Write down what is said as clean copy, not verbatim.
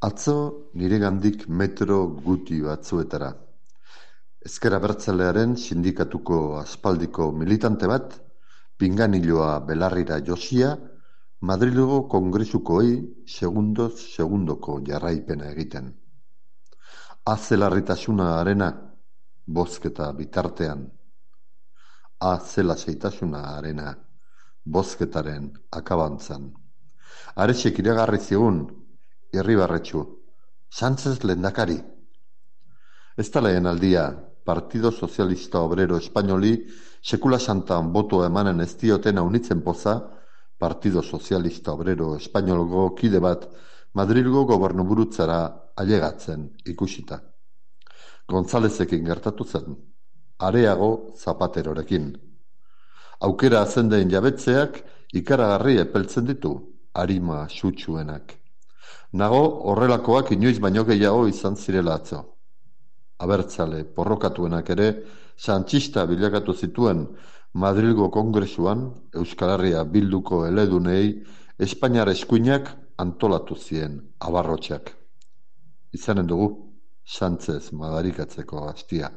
Atzo niregandik metro guti batzuetara. Ezker Abertzalearen sindikatuko aspaldiko militante bat, pinganiloa belarrira josia, Madrilgo kongresukoei segundoz segundoko jarraipena egiten. Azelarritasuna arena, bozketa bitartean. Azelaseitasuna arena, bozketaren akabantzan. Arexek iragarri zigun, Irribarretxu, Sánchez lehendakari. Ez da lehen aldia, Partido Sozialista Obrero Espainoli sekula santan botoa emanen ez dioten aunitzen poza, Partido Sozialista Obrero Espainolgo kide bat Madrilgo gobernuburutzara ailegatzen ikusita. Gonzalezekin gertatu zen, areago Zapaterorekin. Aukera zendeen jabetzeak ikaragarri epeltzen ditu, arima sutsuenak. Nago horrelakoak inoiz baino gehiago izan zirela atzo. Abertzale porrokatuenak ere sanchista bilakatu zituen Madrilgo kongresuan Euskal Herria bilduko eledunei Espainiar eskuinak antolatu zien abarrotxak. Izanen dugu Sánchez madarikatzeko hastia.